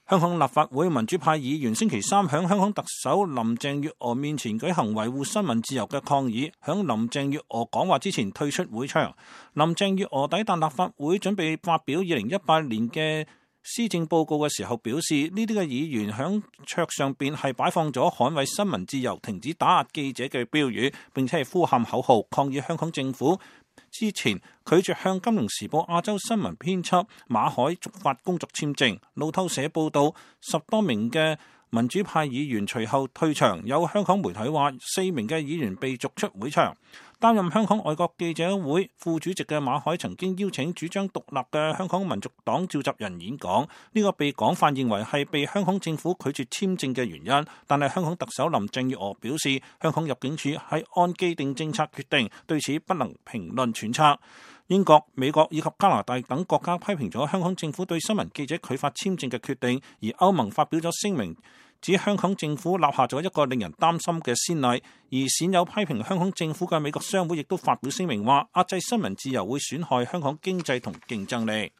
香港立法會民主派議員星期三響香港特首林鄭月娥面前舉行維護新聞自由嘅抗議，響林鄭月娥講話之前退出會場。林鄭月娥抵達立法會準備發表2018年嘅施政報告嘅時候表示，呢啲嘅議員響桌上邊係擺放咗捍衛新聞自由、停止打壓記者嘅標語，並且係呼喊口號抗議香港政府之前拒絕向《金融時報》亞洲新聞編輯馬海續發工作簽證。路透社報道，10多名嘅民主派議員隨後退場，有香港媒體話4名嘅議員被逐出會場。擔任香港外國記者會副主席嘅馬海曾經邀請主張獨立嘅香港民族黨召集人演講，呢個被廣泛認為係被香港政府拒絕簽證嘅原因。但係香港特首林鄭月娥表示，香港入境處係按既定政策決定，對此不能評論揣測。英國、美國以及加拿大等國家批評咗香港政府對新聞記者拒發簽證嘅決定，而歐盟發表咗聲明，指香港政府立下咗一個令人擔心嘅先例。而鮮有批評香港政府嘅美國商會亦都發表聲明話，壓制新聞自由會損害香港經濟同競爭力。